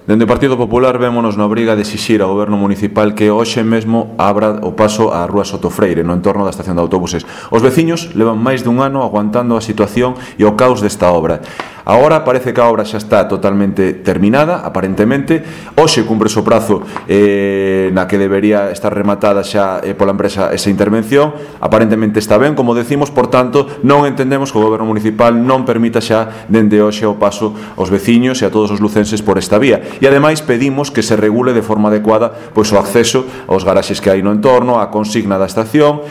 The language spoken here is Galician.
Dende o Partido Popular vémonos na obriga de exixir ao Goberno Municipal que hoxe mesmo abra o paso á Rúa Soto Freire, no entorno da estación de autobuses. Os veciños levan máis dun ano aguantando a situación e o caos desta obra. Agora parece que a obra xa está totalmente terminada, aparentemente. Hoxe cumpre o prazo na que debería estar rematada xa pola empresa esa intervención. Aparentemente está ben, como decimos, por tanto, non entendemos que o Goberno Municipal non permita xa dende hoxe o paso aos veciños e a todos os lucenses por esta vía. E ademais pedimos que se regule de forma adecuada pois o acceso aos garaxes que hai no entorno, a consigna da estación